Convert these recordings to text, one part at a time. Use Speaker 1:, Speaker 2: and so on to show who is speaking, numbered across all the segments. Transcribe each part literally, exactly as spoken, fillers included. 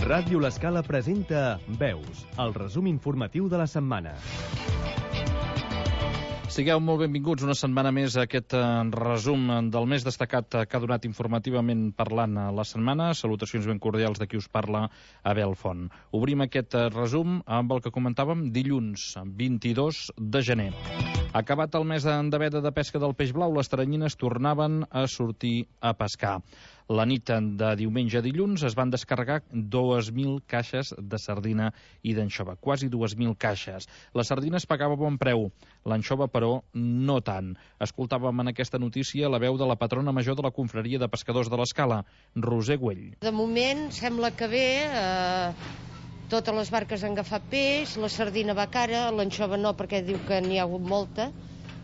Speaker 1: Ràdio L'Escala presenta Veus, el resum informatiu de la setmana.
Speaker 2: Sigueu molt benvinguts una setmana més a aquest resum del més destacat que ha donat informativament parlant la setmana. Salutacions ben cordials de qui us parla, Abel Font. Obrim aquest resum amb el que comentàvem dilluns, vint-i-dos de gener. Acabat el mes de veda de pesca del peix blau, les teranyines tornaven a sortir a pescar. La nit de diumenge a dilluns es van descarregar dues mil caixes de sardina i d'anxova, quasi dues mil caixes. La sardina es pagava a bon preu, l'anxova, però, no tant. Escoltàvem en aquesta notícia la veu de la patrona major de la confraria de pescadors de l'Escala, Roser Güell.
Speaker 3: De moment sembla que bé, eh, totes les barques han agafat peix, la sardina va cara, l'anxova no perquè diu que n'hi ha hagut molta,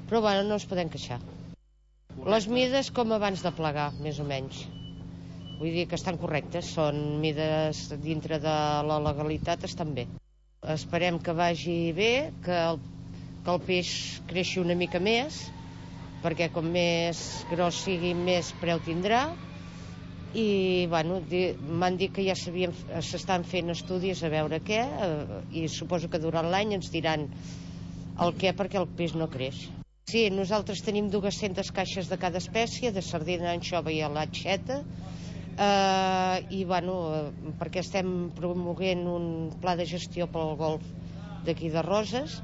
Speaker 3: però bueno, no ens podem queixar. Les mides com abans de plegar, més o menys. Vull dir que estan correctes, són mides dintre de la legalitat, estan bé. Esperem que vagi bé, que el, que el peix creixi una mica més, perquè com més gros sigui, més preu tindrà. I bueno, m'han dit que ja s'estan fent estudis a veure què, i suposo que durant l'any ens diran el què perquè el peix no creix. Sí, nosaltres tenim dues-centes caixes de cada espècie, de sardina, anxova i alatxeta, Uh, i bueno, uh, perquè estem promoguent un pla de gestió pel golf d'aquí de Roses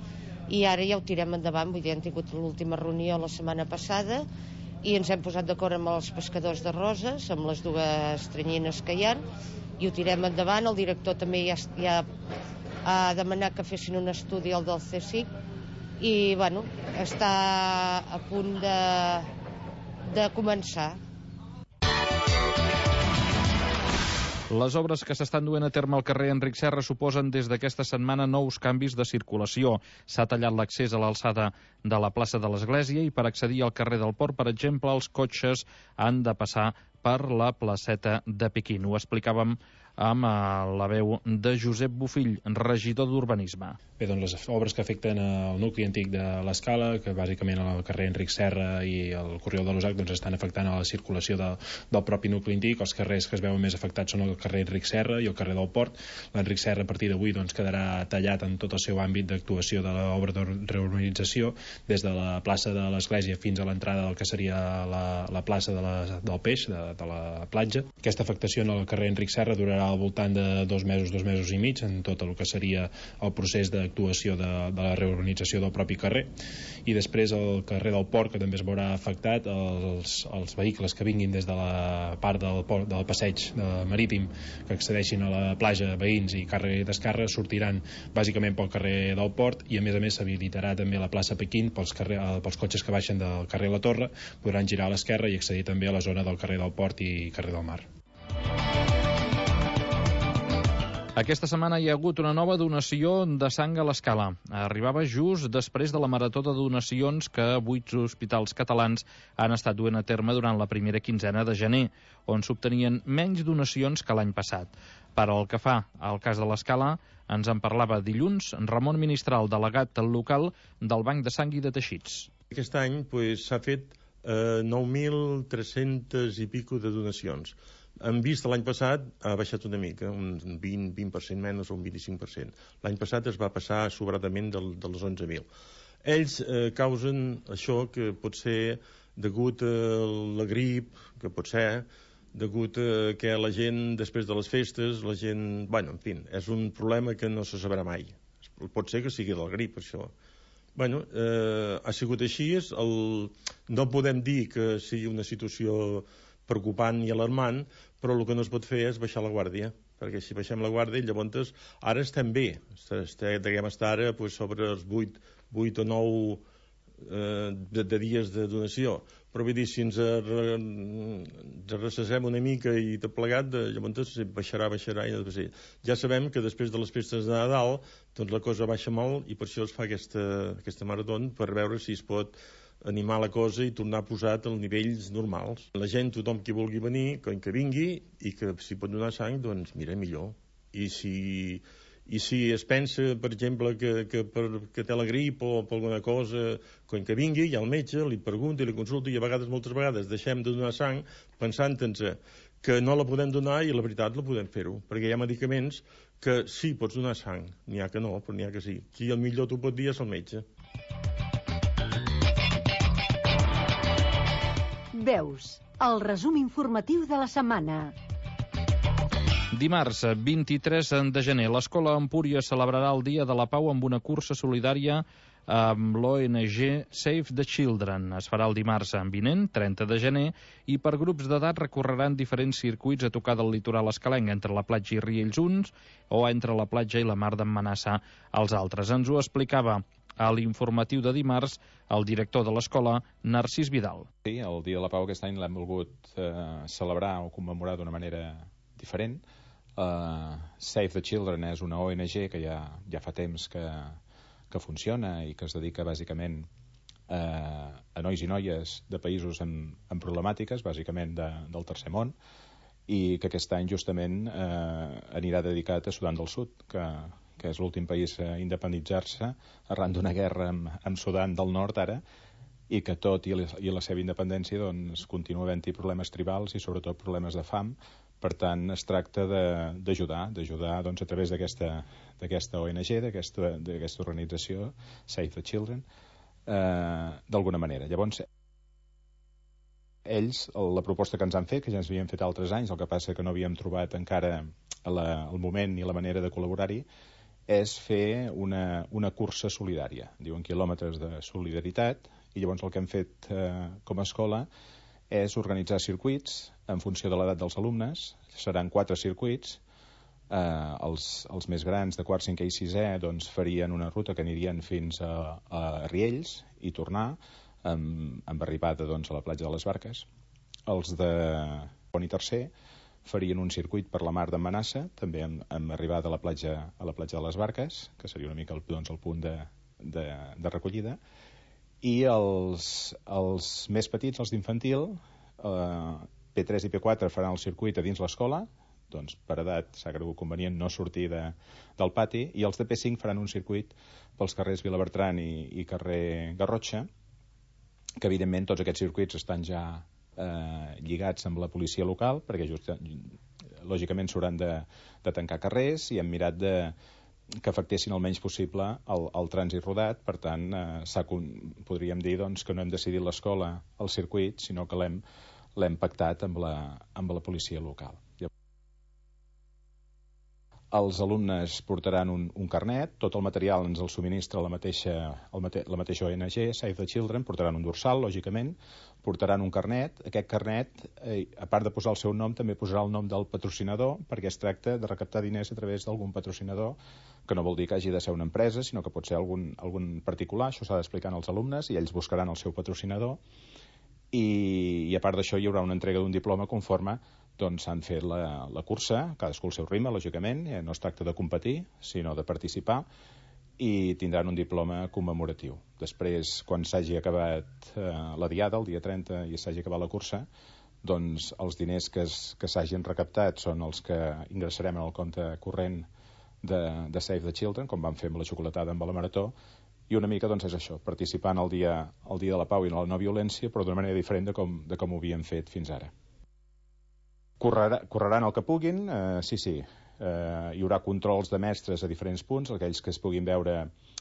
Speaker 3: i ara ja ho tirem endavant. Vull dir, hem tingut l'última reunió la setmana passada i ens hem posat d'acord amb els pescadors de Roses, amb les dues teranyines que hi ha, i ho tirem endavant. El director també ja, ja ha demanat que fessin un estudi al del C S I C i bueno, està a punt de, de començar.
Speaker 2: Les obres que s'estan duent a terme al carrer Enric Serra suposen des d'aquesta setmana nous canvis de circulació. S'ha tallat l'accés a l'alçada de la plaça de l'Església i per accedir al carrer del Port, per exemple, els cotxes han de passar per la placeta de Pequín. Ho explicàvem amb la veu de Josep Bofill, regidor d'Urbanisme.
Speaker 4: Bé, doncs les obres que afecten el nucli antic de l'Escala, que bàsicament al carrer Enric Serra i el Corriol de l'Usac, doncs estan afectant a la circulació de, del propi nucli antic. Els carrers que es veuen més afectats són el carrer Enric Serra i el carrer del Port. L'Enric Serra a partir d'avui doncs, quedarà tallat en tot el seu àmbit d'actuació de l'obra de reurbanització, des de la plaça de l'Església fins a l'entrada del que seria la, la plaça de la, del Peix, de, de la platja. Aquesta afectació en el carrer Enric Serra durarà al voltant de dos mesos, dos mesos i mig en tot el que seria el procés d'actuació de, de la reurbanització del propi carrer. I després el carrer del Port, que també es veurà afectat, els, els vehicles que vinguin des de la part del, port, del passeig de marítim que accedeixin a la platja, veïns i càrrega i descàrrega, sortiran bàsicament pel carrer del Port, i a més a més s'habilitarà també la plaça Pequín pels, carrer, pels cotxes que baixen del carrer La Torre, podran girar a l'esquerra i accedir també a la zona del carrer del Port i carrer del Mar.
Speaker 2: Aquesta setmana hi ha hagut una nova donació de sang a l'Escala. Arribava just després de la marató de donacions que vuit hospitals catalans han estat duent a terme durant la primera quinzena de gener, on s'obtenien menys donacions que l'any passat. Per al que fa al cas de l'Escala, ens en parlava dilluns Ramon Ministral, delegat local del Banc de Sang i de Teixits.
Speaker 5: Aquest any pues, s'ha fet eh, nou mil tres-cents i pico de donacions. Hem vist l'any passat ha baixat una mica, un vint, vint per cent menys o un vint-i-cinc per cent. L'any passat es va passar sobradament del, dels onze mil. Ells eh, causen això que pot ser degut a la grip, que pot ser degut a que la gent, després de les festes, la gent... Bueno, en fi, és un problema que no se sabrà mai. Pot ser que sigui la grip, això. Bueno, eh, ha sigut així. El... No podem dir que sigui una situació preocupant i alarmant, però el que no es pot fer és baixar la guàrdia, perquè si baixem la guàrdia, llavors ara estem bé, deguem estar ara pues, sobre els vuit, vuit o nou eh, de, de dies de donació, però vull dir, si ens recessem una mica i tot plegat, llavors baixarà, baixarà i no sé. Ja sabem que després de les festes de Nadal doncs la cosa baixa molt i per això es fa aquesta, aquesta marató, per veure si es pot animar la cosa i tornar a posar als nivells normals. La gent, tothom qui vulgui venir, que vingui, i que si pot donar sang, doncs mira, millor. I si, i si es pensa, per exemple, que, que, per, que té la grip o per alguna cosa, quan que vingui, hi ha el metge, li pregunta i li consulta, i a vegades, moltes vegades, deixem de donar sang pensant-nos que no la podem donar i la veritat la podem fer-ho, perquè hi ha medicaments que sí, pots donar sang, n'hi ha que no, però n'hi ha que sí. Qui el millor t'ho pot dir és el metge.
Speaker 6: Veus, el resum informatiu de la setmana.
Speaker 2: Dimarts, vint-i-tres de gener, l'Escola Empúries celebrarà el Dia de la Pau amb una cursa solidària amb l'O N G Save the Children. Es farà el dimarts vinent, trenta de gener, i per grups d'edat recorreran diferents circuits a tocar del litoral escalenc, entre la platja i Riells uns o entre la platja i la mar d'en Manassa els altres. Ens ho explicava a l'informatiu de dimarts el director de l'escola, Narcís Vidal.
Speaker 7: Sí, el Dia de la Pau aquest any l'hem volgut eh, celebrar o commemorar d'una manera diferent. Uh, Save the Children és una O N G que ja, ja fa temps que, que funciona i que es dedica bàsicament uh, a nois i noies de països amb, amb problemàtiques, bàsicament de, del tercer món, i que aquest any justament uh, anirà dedicat a Sudan del Sud, que, que és l'últim país a independitzar-se arran d'una guerra amb, amb Sudan del Nord ara, i que tot i la, i la seva independència doncs, continua havent-hi problemes tribals i sobretot problemes de fam. Per tant, es tracta d'ajudar, d'ajudar doncs, a través d'aquesta O N G, d'aquesta organització, Save the Children, eh, d'alguna manera. Llavors, ells, la proposta que ens han fet, que ja ens havien fet altres anys, el que passa que no havíem trobat encara la, el moment ni la manera de col·laborar-hi, és fer una, una cursa solidària. Diuen quilòmetres de solidaritat, i llavors el que hem fet eh, com a escola és organitzar circuits en funció de l'edat dels alumnes. Seran quatre circuits. Eh, els, els més grans de quart, cinquè i sisè doncs, farien una ruta que anirien fins a, a Riells i tornar amb, amb arribada doncs, a la platja de les Barques. Els de segon i tercer farien un circuit per la mar d'en Manassa, també amb, amb arribada a la platja a la platja de les Barques, que seria una mica el, doncs, el punt de, de, de recollida. I els, els més petits, els d'infantil, eh, P tres i P quatre faran el circuit a dins l'escola, doncs per edat s'ha cregut convenient no sortir de, del pati, i els de P cinc faran un circuit pels carrers Vilabertran i, i carrer Garrotxa, que evidentment tots aquests circuits estan ja eh, lligats amb la policia local, perquè just, lògicament s'hauran de, de tancar carrers, i hem mirat de que afectessin el menys possible el, el trànsit rodat. Per tant, eh, podríem dir doncs, que no hem decidit l'escola el circuit, sinó que l'hem l'hem pactat amb la, amb la policia local. Els alumnes portaran un, un carnet, tot el material ens el subministra la mateixa, el mate, la mateixa O N G, Save the Children, portaran un dorsal, lògicament, portaran un carnet. Aquest carnet, eh, a part de posar el seu nom, també posarà el nom del patrocinador, perquè es tracta de recaptar diners a través d'algun patrocinador, que no vol dir que hagi de ser una empresa, sinó que pot ser algun, algun particular. Això s'ha d'explicar als alumnes i ells buscaran el seu patrocinador. I, i a part d'això hi haurà una entrega d'un diploma conforme doncs han fet la, la cursa, cadascú el seu ritme, lògicament, eh, no es tracta de competir, sinó de participar, i tindran un diploma commemoratiu. Després, quan s'hagi acabat eh, la diada, el dia trenta, i s'hagi acabat la cursa, doncs els diners que, es, que s'hagin recaptat són els que ingressarem en el compte corrent de, de Save the Children, com vam fer amb la xocolatada amb la marató, i una mica doncs és això, participant al dia, al dia de la pau i la no violència, però d'una manera diferent de com, de com ho havíem fet fins ara. Correrà, correran el que puguin, eh, sí, sí. Eh, hi haurà controls de mestres a diferents punts, aquells que es puguin veure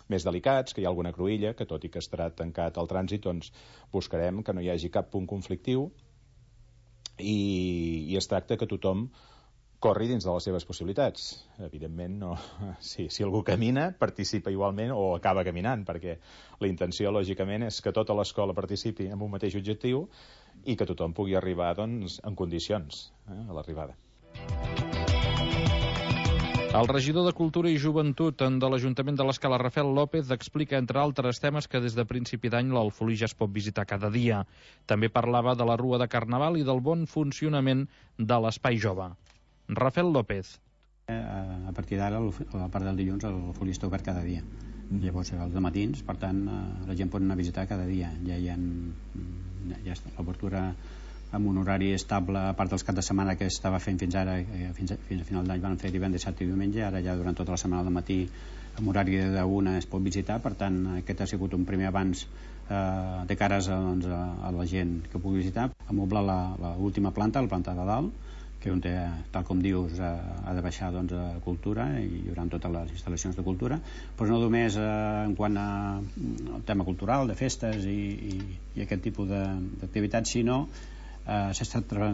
Speaker 7: més delicats, que hi ha alguna cruïlla, que tot i que estarà tancat el trànsit, doncs buscarem que no hi hagi cap punt conflictiu, i, i es tracta que tothom corri dins de les seves possibilitats. Evidentment, no, si, si algú camina, participa igualment o acaba caminant, perquè la intenció, lògicament, és que tota l'escola participi en un mateix objectiu i que tothom pugui arribar doncs, en condicions eh, a l'arribada.
Speaker 2: El regidor de Cultura i Joventut de l'Ajuntament de l'Escala, Rafael López, explica, entre altres temes, que des de principi d'any l'Alfolí ja es pot visitar cada dia. També parlava de la Rua de Carnaval i del bon funcionament de l'Espai Jove. Rafael López.
Speaker 8: A partir d'ara, a la part del dilluns, l'Alfolí està obert cada dia. Llavors, els dematins, per tant, la gent pot anar a visitar cada dia. Ja hi ha, ja està l'obertura amb un horari estable, a part dels caps de setmana que estava fent fins ara, fins a, fins a final d'any van fer divendres, dissabte i diumenge, ara ja durant tota la setmana al matí amb horari d'una es pot visitar. Per tant, aquest ha sigut un primer avanç eh, de cares a, doncs, a, a la gent que pugui visitar. Amoblar l'última planta, la planta de dalt, que on té, tal com dius, ha de baixar doncs, a cultura i hi haurà totes les instal·lacions de cultura, però no només eh, en quant a, al tema cultural, de festes i, i, i aquest tipus d'activitats, sinó eh, s'ha estat tra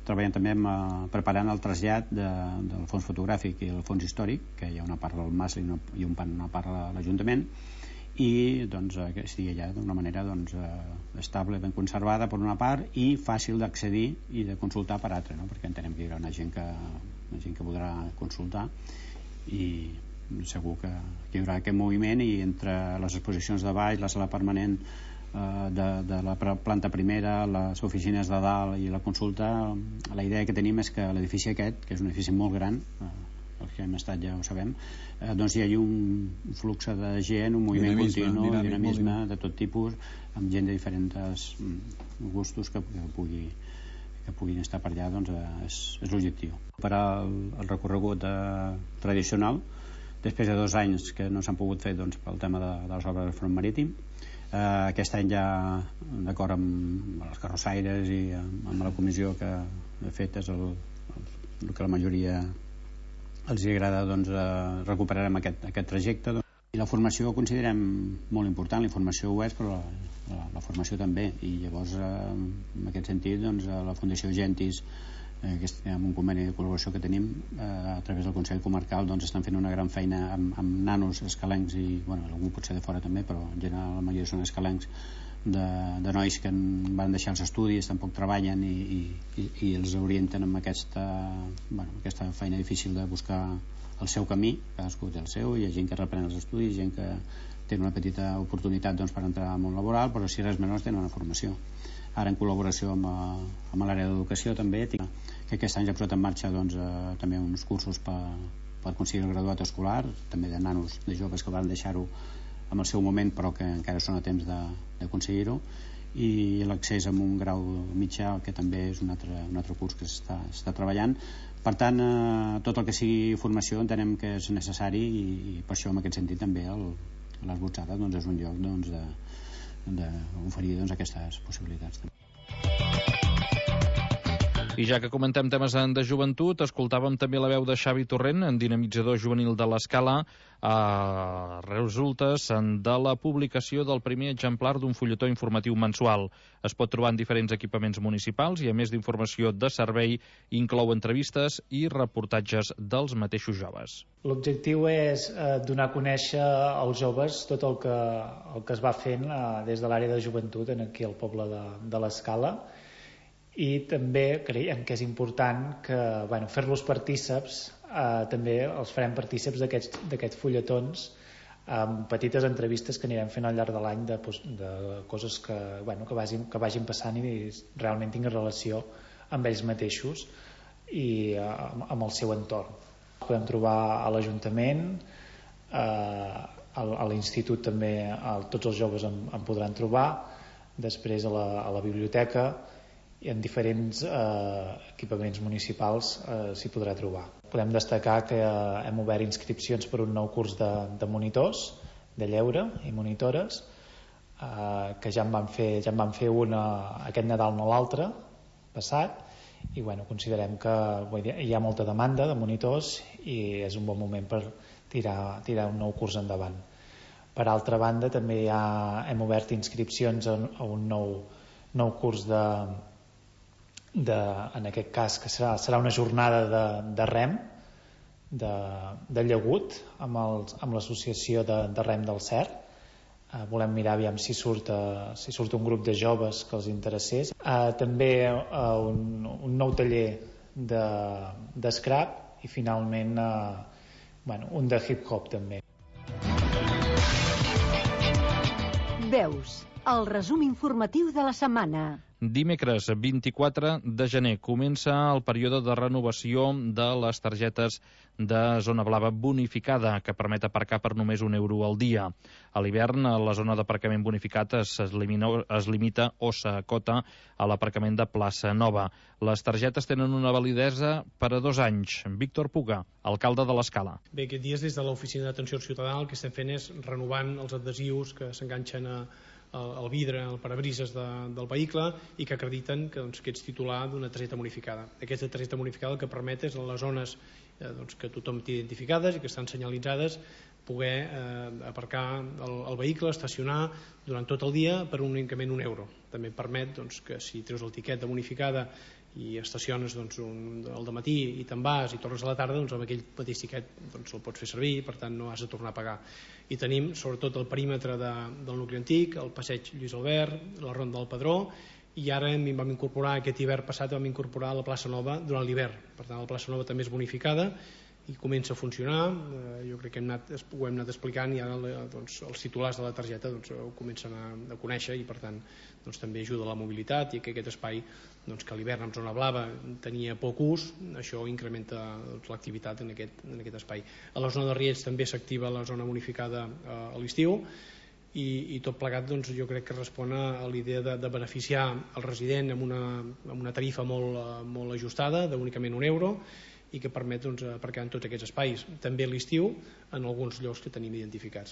Speaker 8: treballant també amb, eh, preparant el trasllat de, del fons fotogràfic i el fons històric, que hi ha una part del M A S i una, i una part a l'Ajuntament, i doncs, que estigui allà d'una manera doncs, estable, ben conservada per una part i fàcil d'accedir i de consultar per altra, no? Perquè entenem que hi haurà una gent que, una gent que podrà consultar i segur que, que hi haurà aquest moviment, i entre les exposicions de baix, la sala permanent eh, de, de la planta primera, les oficines de dalt i la consulta, la idea que tenim és que l'edifici aquest, que és un edifici molt gran, eh, els que hem estat ja ho sabem, eh, doncs hi ha un flux de gent, un moviment dinamisme, continu, dinàmic, dinamisme de tot tipus, amb gent de diferents gustos que, que, pugui, que puguin estar per allà, doncs és, és l'objectiu. Per al el recorregut eh, tradicional, després de dos anys que no s'han pogut fer doncs, pel tema de, de les obres del front marítim, eh, aquest any ja d'acord amb els carrossaires i amb, amb la comissió que he fet és el, el, el que la majoria els agrada, doncs eh, recuperarem aquest, aquest trajecte, doncs. I la formació ho considerem molt important, la informació ho és, però la, la, la formació també, i llavors eh, en aquest sentit doncs, la Fundació Gentis, eh, que és, amb un conveni de col·laboració que tenim eh, a través del Consell Comarcal, doncs estan fent una gran feina amb, amb nanos escalencs i, bueno, algú pot ser de fora també, però en general la majoria són escalencs, de, de nois que van deixar els estudis, tampoc treballen i, i, i els orienten amb aquesta, bueno, aquesta feina difícil de buscar el seu camí, cadascú té el seu, hi ha gent que reprèn els estudis, gent que té una petita oportunitat doncs, per entrar al món laboral, però si res menys tenen una formació. Ara en col·laboració amb, amb l'àrea d'educació també, que aquest any ja ha posat en marxa doncs, eh, també uns cursos per, per aconseguir el graduat escolar, també de nanos, de joves que van deixar-ho en el seu moment però que encara són a temps d'aconseguir-ho, i l'accés amb un grau mitjà, que també és un altre, un altre curs que s'està treballant. Per tant, eh, tot el que sigui formació entenem que és necessari, i, i per això en aquest sentit també l'Esbotzada doncs, és un lloc doncs, d'oferir doncs, aquestes possibilitats.
Speaker 2: I ja que comentem temes de joventut, escoltàvem també la veu de Xavi Torrent, en dinamitzador juvenil de l'Escala, a resultes de la publicació del primer exemplar d'un fulletó informatiu mensual. Es pot trobar en diferents equipaments municipals i, a més d'informació de servei, inclou entrevistes i reportatges dels mateixos joves.
Speaker 9: L'objectiu és eh, donar a conèixer als joves tot el que, el que es va fent eh, des de l'àrea de joventut en aquí al poble de, de l'Escala, i també creiem que és important que, bueno, fer-los partíceps, eh, també els farem partíceps d'aquests fulletons amb petites entrevistes que anirem fent al llarg de l'any de, de coses que, bueno, que, vagin, que vagin passant i realment tinguin relació amb ells mateixos i eh, amb el seu entorn. Podem trobar a l'Ajuntament, eh, a l'institut també, a, tots els joves en, en podran trobar, després a la, a la biblioteca, i en diferents eh, equipaments municipals eh, s'hi podrà trobar. Podem destacar que eh, hem obert inscripcions per un nou curs de, de monitors, de lleure i monitores, eh, que ja en van fer, ja en van fer una aquest Nadal, no l'altre, passat, i bueno, considerem que hi ha molta demanda de monitors i és un bon moment per tirar, tirar un nou curs endavant. Per altra banda, també ja hem obert inscripcions a, a un nou, nou curs de De, en aquest cas que serà, serà una jornada de, de rem de, de llagut amb, els, amb l'associació de, de rem del Cer. eh, volem mirar aviam si surt, eh, si surt un grup de joves que els interessés. eh, també eh, un, un nou taller de, de scrap i finalment eh, bueno, un de hip hop també.
Speaker 6: Veus, el resum informatiu de la setmana.
Speaker 2: Dimecres vint-i-quatre de gener comença el període de renovació de les targetes de zona blava bonificada, que permet aparcar per només un euro al dia. A l'hivern, la zona d'aparcament bonificat es, elimina, es limita o s'acota a l'aparcament de plaça Nova. Les targetes tenen una validesa per a dos anys. Víctor Puga, alcalde de l'Escala.
Speaker 10: Bé, aquests dies des de l'oficina d'atenció ciutadana el que estem fent és renovant els adhesius que s'enganxen a el vidre, el parabrises de, del vehicle i que acrediten que, doncs, que ets titular d'una targeta bonificada. Aquesta targeta bonificada el que permet és en les zones eh, doncs, que tothom té identificades i que estan senyalitzades poder eh, aparcar el, el vehicle, estacionar durant tot el dia per únicament un euro. També permet doncs, que si treus el tiquet de bonificada i estaciones doncs, un, el dematí i te'n vas i tornes a la tarda, doncs amb aquell mateix tiquet doncs, el pots fer servir i per tant no has de tornar a pagar. I tenim sobretot el perímetre de, del nucli antic, el passeig Lluís Albert, la ronda del Pedró, i ara hem, vam incorporar, aquest hivern passat vam incorporar la plaça Nova durant l'hivern. Per tant, la plaça Nova també és bonificada i comença a funcionar. Eh, jo crec que hem anat, ho hem anat explicant i ara doncs, els titulars de la targeta doncs, ho comencen a, a conèixer i per tant doncs, també ajuda a la mobilitat i que aquest espai doncs, que a l'hivern en zona blava tenia poc ús, això incrementa doncs, l'activitat en, aquest, en aquest espai. A la zona de Riells també s'activa la zona bonificada eh, a l'estiu i, i tot plegat doncs, jo crec que respon a l'idea de, de beneficiar el resident amb una, amb una tarifa molt, molt ajustada d'únicament un euro i que permet doncs, aparcar en tots aquests espais, també a l'estiu en alguns llocs que tenim identificats.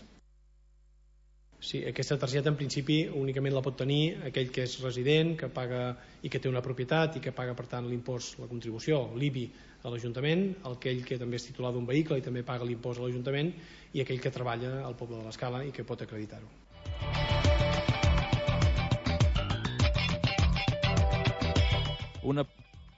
Speaker 10: Sí, aquesta targeta en principi únicament la pot tenir aquell que és resident, que paga i que té una propietat i que paga per tant l'impost, la contribució, l'I B I a l'Ajuntament, aquell que també és titular d'un vehicle i també paga l'impost a l'Ajuntament i aquell que treballa al poble de l'Escala i que pot acreditar-ho.
Speaker 2: Una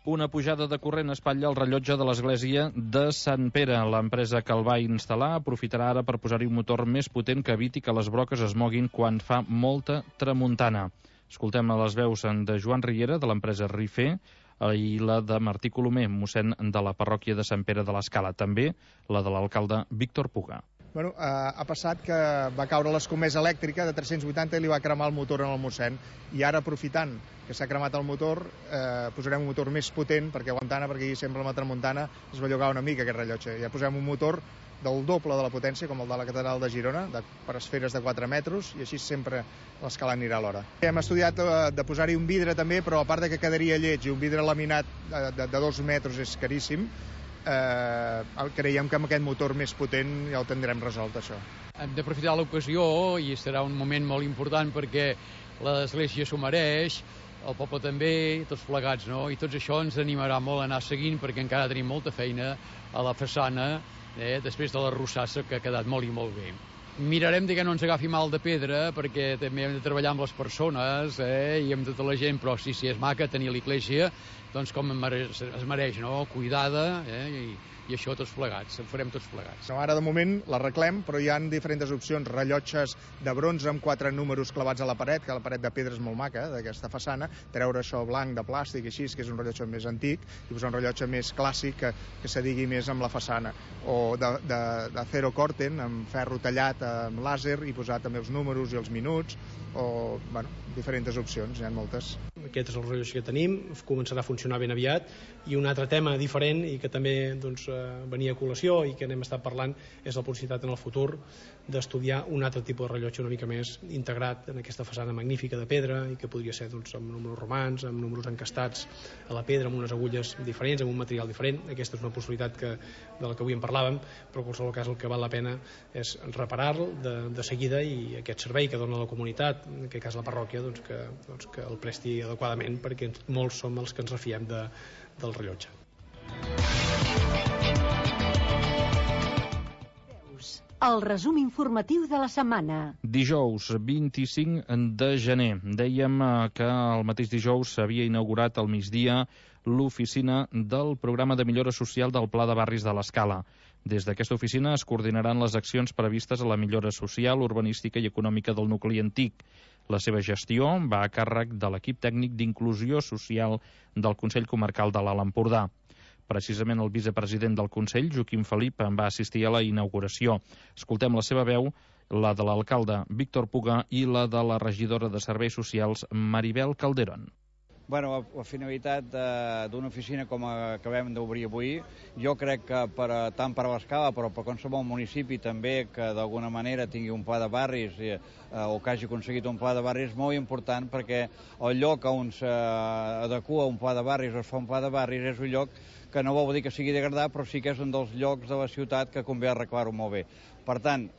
Speaker 2: Una pujada de corrent espatlla el rellotge de l'església de Sant Pere. L'empresa que el va instal·lar aprofitarà ara per posar-hi un motor més potent que eviti que les broques es moguin quan fa molta tramuntana. Escoltem a les veus de Joan Riera, de l'empresa Rifer, i la de Martí Colomer, mossèn de la parròquia de Sant Pere de l'Escala. També la de l'alcalde Víctor Puga.
Speaker 11: Bueno, eh, ha passat que va caure l'escomesa elèctrica de tres-cents vuitanta i li va cremar el motor en el mossèn. I ara, aprofitant que s'ha cremat el motor, eh, posarem un motor més potent, perquè aguantana, perquè sempre amb la tramuntana es va llogar una mica aquest rellotge. Ja posem un motor del doble de la potència, com el de la catedral de Girona, de, per esferes de quatre metres, i així sempre l'escala anirà a l'hora. Hem estudiat eh, de posar-hi un vidre també, però a part de que quedaria lleig i un vidre laminat de, de, de dos metres és caríssim, Eh, creiem que amb aquest motor més potent ja ho tindrem resolt, això.
Speaker 12: Hem d'aprofitar l'ocasió i serà un moment molt important perquè l'església s'ho mereix, el poble també, tots plegats, no? I tots això ens animarà molt a anar seguint perquè encara tenim molta feina a la façana, eh, després de la rossassa que ha quedat molt i molt bé. Mirarem de que no ens agafi mal de pedra perquè també hem de treballar amb les persones eh, i amb tota la gent, però sí, sí, és maca tenir l'església doncs com es mereix, no? Cuidada eh, i, i això tots plegats, en farem tots plegats.
Speaker 11: No, ara de moment l'arreglem, però hi ha diferents opcions, rellotges de bronze amb quatre números clavats a la paret, que la paret de pedra és molt maca, d'aquesta façana, treure això blanc de plàstic així, que és un rellotge més antic, i posar un rellotge més clàssic que, que s'adigui més amb la façana, o de, de, de Cero Corten, amb ferro tallat amb làser i posar també els números i els minuts, o, bueno, diferents opcions, hi ha moltes.
Speaker 10: Aquest és el rellotge que tenim, començarà a funcionar ben aviat, i un altre tema diferent i que també doncs, venia a col·lació i que n'hem estat parlant és la possibilitat en el futur d'estudiar un altre tipus de rellotge una mica més integrat en aquesta façana magnífica de pedra i que podria ser doncs, amb números romans, amb números encastats a la pedra, amb unes agulles diferents, amb un material diferent. Aquesta és una possibilitat que, de la que avui en parlàvem, però en qualsevol cas el que val la pena és reparar-lo de, de seguida i aquest servei que dona la comunitat, en aquest cas la parròquia, doncs que, doncs que el presti adequadament perquè molts som els que ens refiem de, del rellotge.
Speaker 6: El resum informatiu de la setmana.
Speaker 2: Dijous, vint-i-cinc de gener. Dèiem que el mateix dijous s'havia inaugurat al migdia l'oficina del programa de millora social del Pla de Barris de l'Escala. Des d'aquesta oficina es coordinaran les accions previstes a la millora social, urbanística i econòmica del nucli antic. La seva gestió va a càrrec de l'equip tècnic d'inclusió social del Consell Comarcal de l'Alt Empordà. Precisament el vicepresident del Consell, Joaquim Felip, en va assistir a la inauguració. Escoltem la seva veu, la de l'alcalde Víctor Puga i la de la regidora de Serveis Socials, Maribel Calderón.
Speaker 13: Bueno, la, la finalitat d'una oficina com acabem d'obrir avui, jo crec que per, tant per a l'Escala, però per qualsevol municipi també que d'alguna manera tingui un pla de barris eh, o que hagi aconseguit un pla de barris és molt important perquè el lloc on s'adequa un pla de barris o es fa un pla de barris és un lloc que no vol dir que sigui degradat, però sí que és un dels llocs de la ciutat que convé arreglar-ho molt bé. Per tant,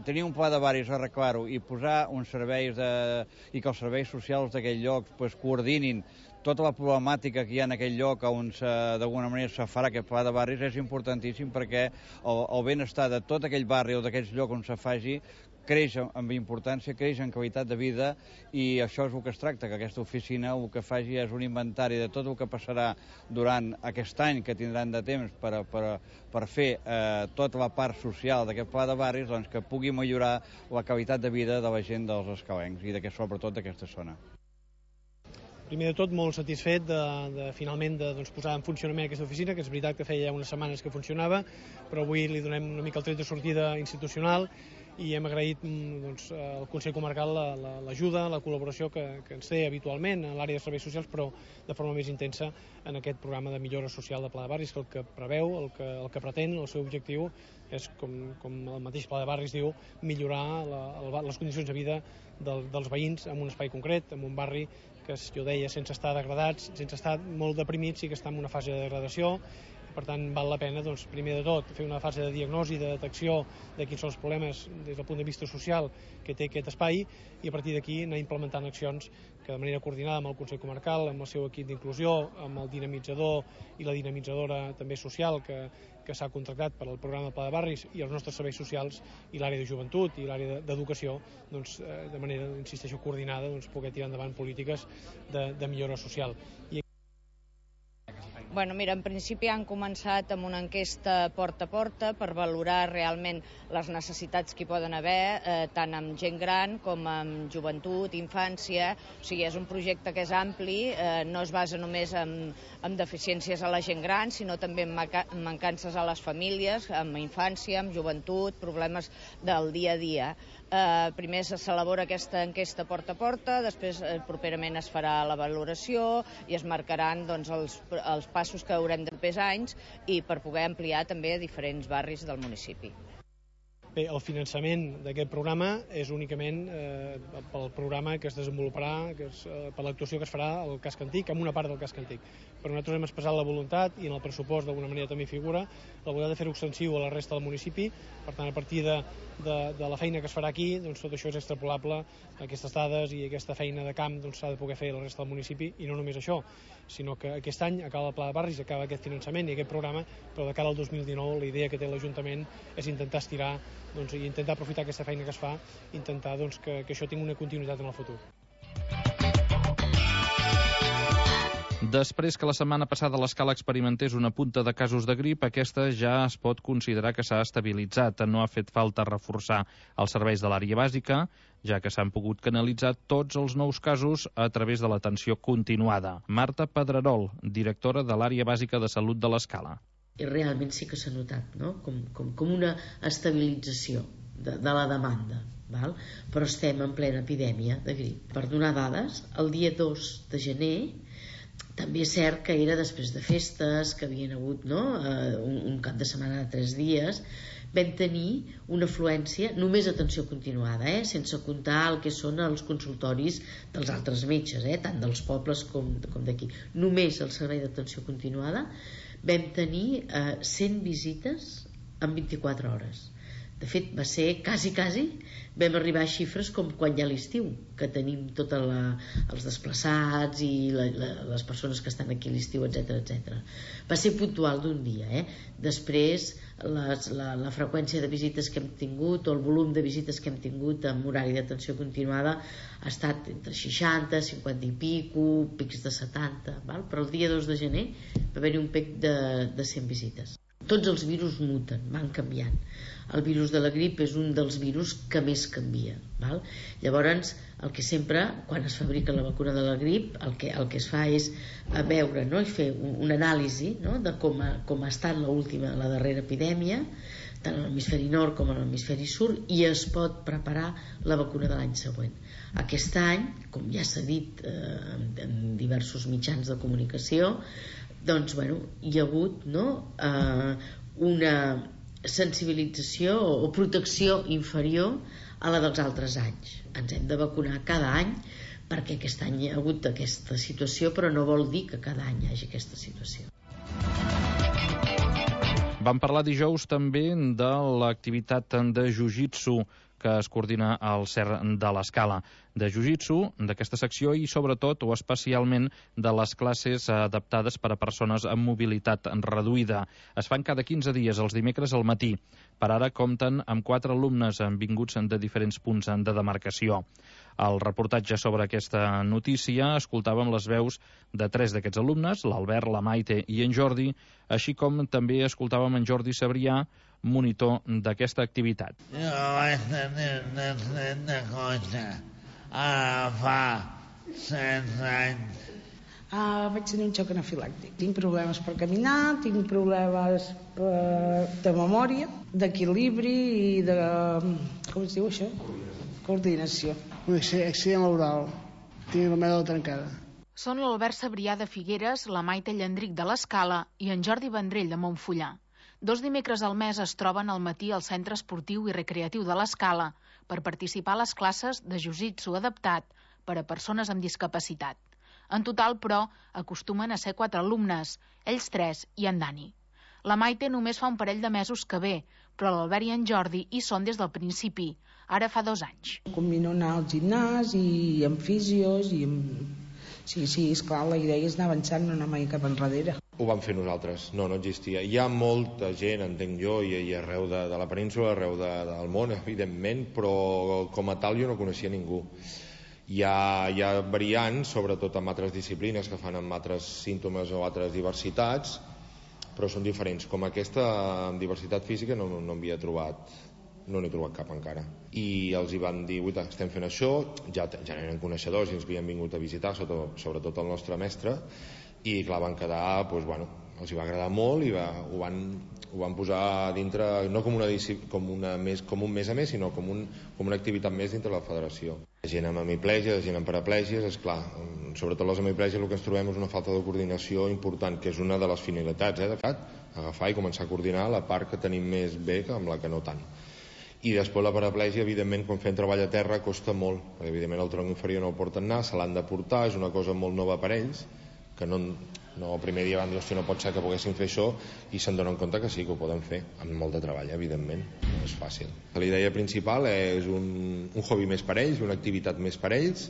Speaker 13: tenir un pla de barris, arreglar-ho i posar uns serveis de, i que els serveis socials d'aquell lloc pues, coordinin tota la problemàtica que hi ha en aquell lloc on d'alguna manera se farà aquest pla de barris és importantíssim perquè el, el benestar de tot aquell barri o d'aquells llocs on se faci creix amb importància, creix en qualitat de vida i això és el que es tracta, que aquesta oficina el que faci és un inventari de tot el que passarà durant aquest any que tindran de temps per, per, per fer eh, tota la part social d'aquest pla de barris, doncs que pugui millorar la qualitat de vida de la gent dels escalencs i de, sobretot d'aquesta zona.
Speaker 10: Primer de tot, molt satisfet de, de finalment de doncs, posar en funcionament aquesta oficina, que és veritat que feia unes setmanes que funcionava, però avui li donem una mica el tret de sortida institucional i hem agraït doncs, al Consell Comarcal l'ajuda, la, la col·laboració que, que ens té habitualment en l'àrea de serveis socials, però de forma més intensa en aquest programa de millora social de Pla de Barris, que el que preveu, el que, el que pretén, el seu objectiu és, com, com el mateix Pla de Barris diu, millorar la, el, les condicions de vida del, dels veïns en un espai concret, en un barri que, jo deia, sense estar degradats, sense estar molt deprimits, sí que està en una fase de degradació. Per tant, val la pena, doncs, primer de tot, fer una fase de diagnosi, de detecció de quins són els problemes des del punt de vista social que té aquest espai i a partir d'aquí anar implementant accions que de manera coordinada amb el Consell Comarcal, amb el seu equip d'inclusió, amb el dinamitzador i la dinamitzadora també social que, que s'ha contractat per al programa del Pla de Barris i els nostres serveis socials i l'àrea de joventut i l'àrea d'educació, doncs, de manera, insisteixo, coordinada, doncs, poder tirar endavant polítiques de, de millora social. I
Speaker 14: Bueno, mira, en principi han començat amb una enquesta porta a porta per valorar realment les necessitats que hi poden haver, eh, tant amb gent gran com amb joventut, infància. O sigui, és un projecte que és ampli, eh, no es basa només en, en deficiències a la gent gran, sinó també en mancances a les famílies, amb infància, amb joventut, problemes del dia a dia. Eh, primer s'elabora aquesta enquesta porta a porta, després eh, properament es farà la valoració i es marcaran doncs, els, els passos que haurem de fer anys i per poder ampliar també a diferents barris del municipi.
Speaker 10: Bé, el finançament d'aquest programa és únicament eh, pel programa que es desenvoluparà, que és, eh, per l'actuació que es farà al casc antic, amb una part del casc antic. Però nosaltres hem expressat la voluntat, i en el pressupost d'alguna manera també figura, la voluntat de fer-ho extensiu a la resta del municipi. Per tant, a partir de, de, de la feina que es farà aquí, doncs tot això és extrapolable, aquestes dades i aquesta feina de camp doncs, s'ha de poder fer a la resta del municipi, i no només això, sinó que aquest any acaba el Pla de Barris, acaba aquest finançament i aquest programa, però de cara al dos mil dinou la idea que té l'Ajuntament és intentar estirar doncs, i intentar aprofitar aquesta feina que es fa, intentar doncs, que, que això tingui una continuïtat en el futur.
Speaker 2: Després que la setmana passada l'Escala experimentés una punta de casos de grip, aquesta ja es pot considerar que s'ha estabilitzat. No ha fet falta reforçar els serveis de l'àrea bàsica, ja que s'han pogut canalitzar tots els nous casos a través de l'atenció continuada. Marta Pedrerol, directora de l'àrea bàsica de salut de l'Escala.
Speaker 15: I realment sí que s'ha notat, no? com, com, com una estabilització de, de la demanda. Val? Però estem en plena epidèmia de grip. Per donar dades, el dia dos de gener també és cert que era després de festes, que havien hagut no? uh, un, un cap de setmana de tres dies, vam tenir una afluència, només atenció continuada, eh? sense comptar el que són els consultoris dels altres metges, eh? tant dels pobles com, com d'aquí. Només el servei d'atenció continuada vam tenir eh, cent visites en vint-i-quatre hores. De fet, va ser quasi, quasi, vam arribar a xifres com quan hi ha l'estiu, que tenim tots els desplaçats i la, la, les persones que estan aquí a l'estiu, etcètera, etcètera. Va ser puntual d'un dia. Eh? Després, les, la, la freqüència de visites que hem tingut, o el volum de visites que hem tingut amb horari d'atenció continuada, ha estat entre seixanta, cinquanta i pico, pics de setanta, val? Però el dia dos de gener va haver-hi un pic de, de cent visites. Tots els virus muten, van canviant. El virus de la grip és un dels virus que més canvia. Val? Llavors, el que sempre, quan es fabrica la vacuna de la grip, el que, el que es fa és a veure no? i fer un, un anàlisi no? de com ha, com ha estat l'última, la darrera epidèmia, tant a l'hemisferi nord com a l'hemisferi sud, i es pot preparar la vacuna de l'any següent. Aquest any, com ja s'ha dit eh, en diversos mitjans de comunicació, doncs, bueno, hi ha hagut no, eh, una sensibilització o protecció inferior a la dels altres anys. Ens hem de vacunar cada any perquè aquest any hi ha hagut aquesta situació, però no vol dir que cada any hi hagi aquesta situació.
Speaker 2: Vam parlar dijous també de l'activitat de jiu-jitsu que es coordina al C E R de l'Escala. De jiu-jitsu, d'aquesta secció i sobretot o especialment de les classes adaptades per a persones amb mobilitat reduïda. Es fan cada quinze dies, els dimecres al matí. Per ara compten amb quatre alumnes vinguts de diferents punts de demarcació. Al reportatge sobre aquesta notícia escoltàvem les veus de tres d'aquests alumnes, l'Albert, la Maite i en Jordi, així com també escoltàvem en Jordi Sabrià, monitor d'aquesta activitat.
Speaker 16: Jo vaig tenir una cosa ara fa setze anys.
Speaker 17: Ah, vaig tenir un xoc anafilàctic. Tinc problemes per caminar, tinc problemes per, de memòria, d'equilibri i de... com es diu això? Coordinació.
Speaker 18: Un accident laboral. Tinc la meva trencada.
Speaker 19: Són l'Albert Sabrià de Figueres, la Maite Llandric de l'Escala i en Jordi Vendrell de Montfullà. Dos dimecres al mes es troben al matí al Centre Esportiu i Recreatiu de l'Escala per participar a les classes de jiu-jitsu adaptat per a persones amb discapacitat. En total, però, acostumen a ser quatre alumnes, ells tres i en Dani. La Maite només fa un parell de mesos que ve, però l'Albert i en Jordi hi són des del principi, ara fa dos anys.
Speaker 17: Combino anar al gimnàs i amb fisios i amb... Sí, sí, esclar, la idea és anar avançant, no anar mai cap enrere.
Speaker 20: Ho vam fer nosaltres, no, no existia. Hi ha molta gent, entenc jo, i, i arreu de, de la península, arreu de, del món, evidentment, però com a tal jo no coneixia ningú. Hi ha, hi ha variants, sobretot amb altres disciplines que fan amb altres símptomes o altres diversitats, però són diferents. Com aquesta, amb diversitat física, no, no havia trobat... no n'he trobat cap encara. I els hi van dir, uita, estem fent això, ja, ja eren coneixedors i ens havien vingut a visitar, sobretot, sobretot el nostre mestre, i clar, van quedar, doncs, bueno, els hi va agradar molt i va, ho, van, ho van posar dintre, no com, una, com, una més, com un mes a més, sinó com, un, com una activitat més dintre la federació. La gent amb hemiplegia, la gent amb paraplègies, esclar, sobretot les hemiplègies el que ens trobem és una falta de coordinació important, que és una de les finalitats, eh, de fet, agafar i començar a coordinar la part que tenim més bé que amb la que no tant. I després la paraplègia, evidentment, quan fem treball a terra costa molt, perquè evidentment el tronc inferior no el porten anar, se l'han de portar, és una cosa molt nova per ells, que no, no el primer dia van dir, hòstia, no pot ser que poguessin fer això, i se'n donen compte que sí, que ho poden fer, amb molt de treball, evidentment, no és fàcil. La idea principal és un, un hobby més per ells, una activitat més per ells,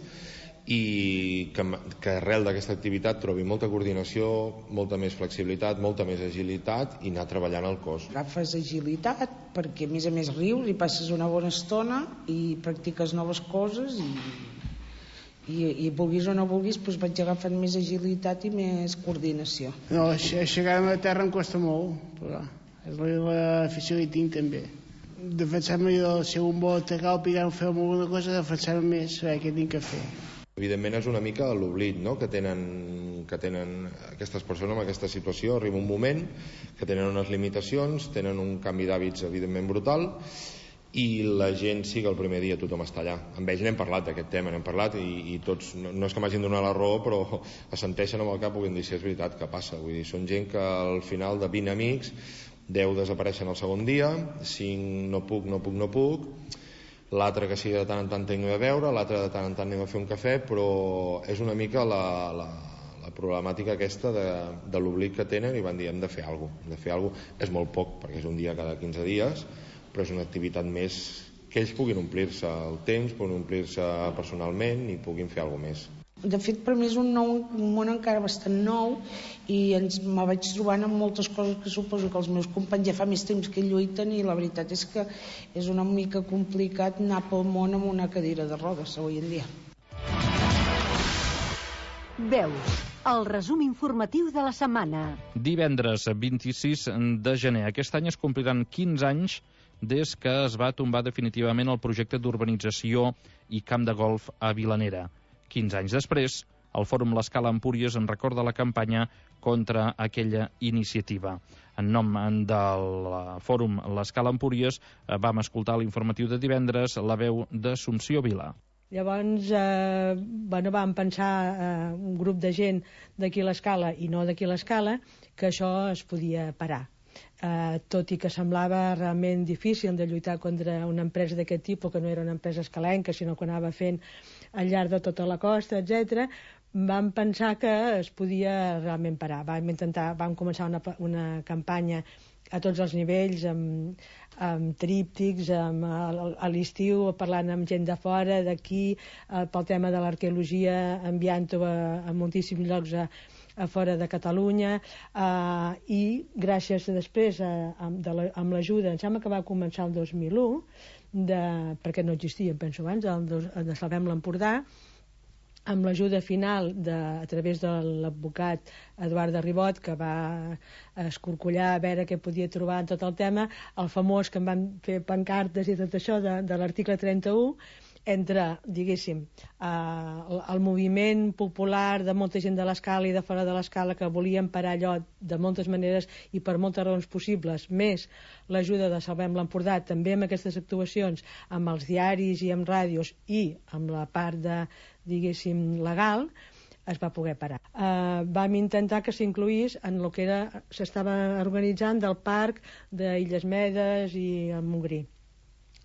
Speaker 20: i que, que arrel d'aquesta activitat trobi molta coordinació, molta més flexibilitat, molta més agilitat i anar treballant el cos.
Speaker 17: Agafes agilitat perquè a més a més rius i passes una bona estona i practiques noves coses i, i, i vulguis o no vulguis doncs vaig agafant més agilitat i més coordinació.
Speaker 18: No, aixecar-me a terra em costa molt, però és l'afició que hi tinc també. Defensar-me del segon vol atacar o picar o fer alguna cosa, defensar-me més, saber què tinc que fer.
Speaker 20: Evidentment és una mica l'oblit, no?, que tenen, que tenen aquestes persones en aquesta situació. Arriba un moment que tenen unes limitacions, tenen un canvi d'hàbits evidentment brutal i la gent sí que el primer dia tothom està allà. Amb ells n'hem parlat d'aquest tema, n'hem parlat i, i tots, no, no és que m'hagin donat la raó, però assenteixen amb el cap, puguin dir si és veritat que passa. Vull dir, són gent que al final de vint amics, deu desapareixen el segon dia, cinc no puc, no puc, no puc, l'altre que sí de tant en tant tinguem a veure, l'altre de tant en tant anem a fer un cafè, però és una mica la, la, la problemàtica aquesta de, de l'oblit que tenen i van dir hem de fer alguna cosa, hem de fer alguna cosa. És molt poc, perquè és un dia cada quinze dies, però és una activitat més que ells puguin omplir-se el temps, puguin omplir-se personalment i puguin fer alguna cosa més.
Speaker 17: De fet, per mi és un, nou, un món encara bastant nou i ens me vaig trobant amb moltes coses que suposo que els meus companys ja fa més temps que lluiten i la veritat és que és una mica complicat anar pel món amb una cadira de rodes avui en dia.
Speaker 6: Veus, el resum informatiu de la setmana.
Speaker 2: Divendres vint-i-sis de gener. Aquest any es compliran quinze anys des que es va tombar definitivament el projecte d'urbanització i camp de golf a Vilanera. quinze anys després, el Fòrum L'Escala Empúries en recorda la campanya contra aquella iniciativa. En nom del Fòrum L'Escala Empúries vam escoltar l'informatiu de divendres la veu d'Assumpció Vila.
Speaker 21: Llavors eh, bueno, vam pensar eh, un grup de gent d'aquí a l'Escala i no d'aquí a l'Escala que això es podia parar. Eh, tot i que semblava realment difícil de lluitar contra una empresa d'aquest tipus, que no era una empresa escalenca, sinó que anava fent al llarg de tota la costa, etcètera, vam pensar que es podia realment parar. Vam intentar, vam començar una, una campanya a tots els nivells, amb, amb tríptics, amb, a l'estiu parlant amb gent de fora, d'aquí, pel tema de l'arqueologia, enviant-ho a, a moltíssims llocs a, a fora de Catalunya, eh, i gràcies després a, amb l'ajuda, em sembla que va començar el dos mil u, de, perquè no existia, penso abans, el, de Salvem l'Empordà, amb l'ajuda final de, a través de l'advocat Eduard de Ribot, que va escorcollar a veure què podia trobar en tot el tema, el famós que em van fer pancartes i tot això de, de l'article trenta-u, entre, diguéssim, eh, el moviment popular de molta gent de l'escala i de fora de l'escala que volien parar allò de moltes maneres i per moltes raons possibles, més l'ajuda de Salvem l'Empordà, també amb aquestes actuacions, amb els diaris i amb ràdios i amb la part de, diguéssim, legal, es va poder parar. Eh, vam intentar que s'incluís en el que era, s'estava organitzant del parc d'Illes Medes i el Montgrí.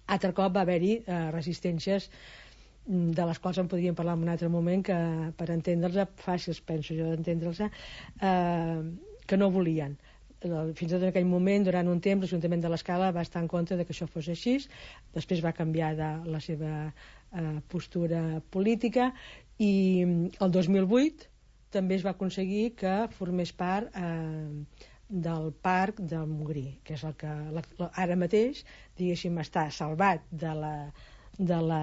Speaker 21: Altre cop va haver-hi eh, resistències de les quals en podríem parlar en un altre moment, que per entendre'ls, fàcils penso jo d'entendre'ls, eh, que no volien. Fins i tot en aquell moment, durant un temps, l'Ajuntament de l'Escala va estar en contra de que això fos així, després va canviar de la seva eh, postura política, i el dos mil vuit també es va aconseguir que formés part eh, del parc del Montgrí, que és el que la, ara mateix, diguéssim, està salvat de la, de la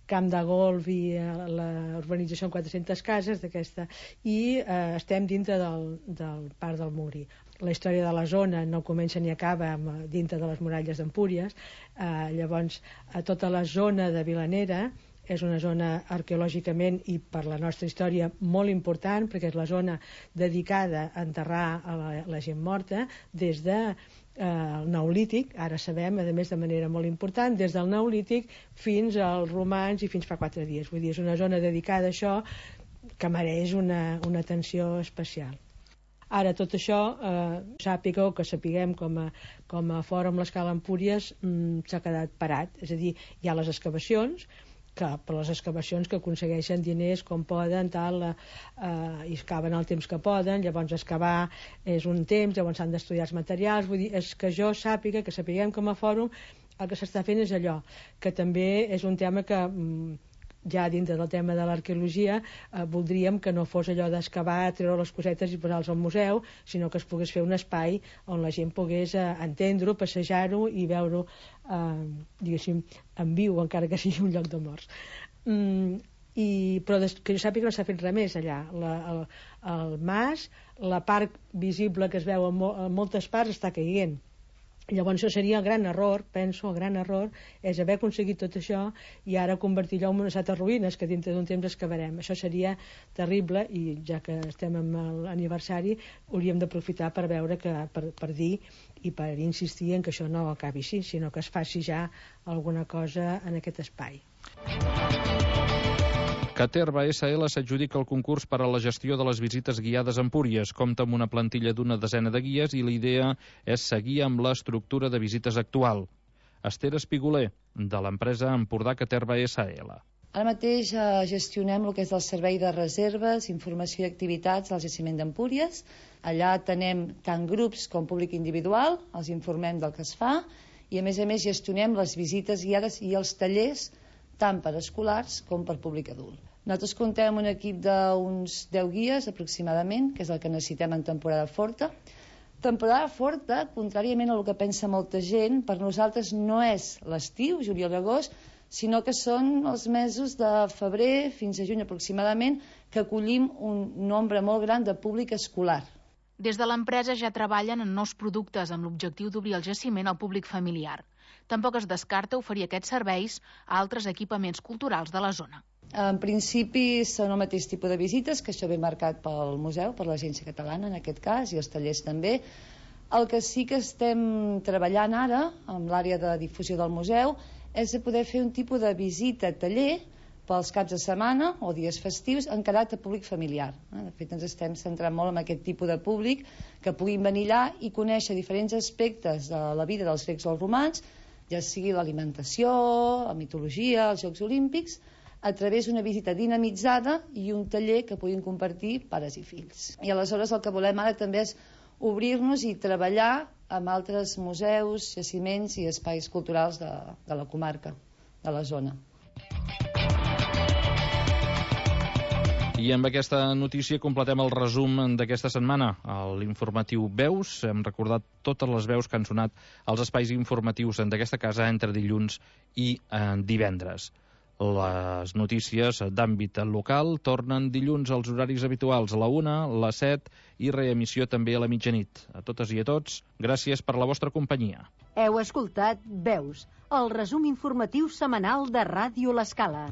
Speaker 21: camp de golf i l'urbanització amb quatre-centes cases d'aquesta, i eh, estem dintre del, del parc del Montgrí. La història de la zona no comença ni acaba amb, dintre de les muralles d'Empúries, eh, llavors a tota la zona de Vilanera és una zona arqueològicament i per la nostra història molt important, perquè és la zona dedicada a enterrar a la, la gent morta des de eh, el Neolític, ara sabem, a més de manera molt important, des del Neolític fins als romans i fins fa quatre dies. Vull dir, és una zona dedicada a això que mereix una, una atenció especial. Ara, tot això, eh, sàpigueu, que sapiguem com a, com a Fòrum l'Escala Empúries mm, s'ha quedat parat, és a dir, hi ha les excavacions, que per les excavacions que aconsegueixen diners com poden, tal, eh, i excaven el temps que poden, llavors excavar és un temps, llavors s'han d'estudiar els materials, vull dir, és que jo sàpiga, que sapiguem com a fòrum, el que s'està fent és allò, que també és un tema que ja dintre del tema de l'arqueologia eh, voldríem que no fos allò d'excavar, treure les cosetes i posar-los al museu, sinó que es pogués fer un espai on la gent pogués eh, entendre-ho, passejar-ho i veure-ho eh, diguéssim, en viu, encara que sigui un lloc de morts. Mm, i, però des, que jo sàpiga que no s'ha fet res més allà. La, el, el mas, la part visible que es veu en, mo, en moltes parts està caient. Llavors això seria el gran error, penso, el gran error és haver aconseguit tot això i ara convertir-lo en unes altres ruïnes que dintre d'un temps excavarem. Això seria terrible i ja que estem amb l'aniversari hauríem d'aprofitar per veure que, per, per dir i per insistir en que això no acabi així, sinó que es faci ja alguna cosa en aquest espai.
Speaker 2: Caterva essa ele s'adjudica el concurs per a la gestió de les visites guiades a Empúries. Compta amb una plantilla d'una desena de guies i la idea és seguir amb l'estructura de visites actual. Esther Espiguler, de l'empresa Empordà Caterva essa ele.
Speaker 1: Ara mateix eh, gestionem el que és el servei de reserves, informació i activitats al jaciment d'Empúries. Allà tenem tant grups com públic individual, els informem del que es fa i a més a més gestionem les visites guiades i els tallers tant per escolars com per públic adult. Nosaltres comptem amb un equip d'uns deu guies aproximadament, que és el que necessitem en temporada forta. Temporada forta, contràriament al que pensa molta gent, per nosaltres no és l'estiu, juliol i agost, sinó que són els mesos de febrer fins a juny aproximadament, que acollim un nombre molt gran de públic escolar.
Speaker 19: Des de l'empresa ja treballen en nous productes amb l'objectiu d'obrir el jaciment al públic familiar. Tampoc es descarta oferir aquests serveis a altres equipaments culturals de la zona.
Speaker 1: En principi són el mateix tipus de visites, que això ve marcat pel museu, per l'Agència Catalana en aquest cas, i els tallers també. El que sí que estem treballant ara, amb l'àrea de difusió del museu, és de poder fer un tipus de visita-taller pels caps de setmana o dies festius encarat a públic familiar. De fet, ens estem centrant molt en aquest tipus de públic que puguin venir allà i conèixer diferents aspectes de la vida dels grecs o els romans, ja sigui l'alimentació, la mitologia, els Jocs Olímpics, a través d'una visita dinamitzada i un taller que puguin compartir pares i fills. I aleshores el que volem ara també és obrir-nos i treballar amb altres museus, jaciments i espais culturals de, de la comarca, de la zona.
Speaker 2: I amb aquesta notícia completem el resum d'aquesta setmana. A l'informatiu Veus hem recordat totes les veus que han sonat als espais informatius d'aquesta casa entre dilluns i eh, divendres. Les notícies d'àmbit local tornen dilluns als horaris habituals, a la una, a les set i reemissió també a la mitjanit. A totes i a tots, gràcies per la vostra companyia.
Speaker 6: Heu escoltat Veus, el resum informatiu setmanal de Ràdio L'Escala.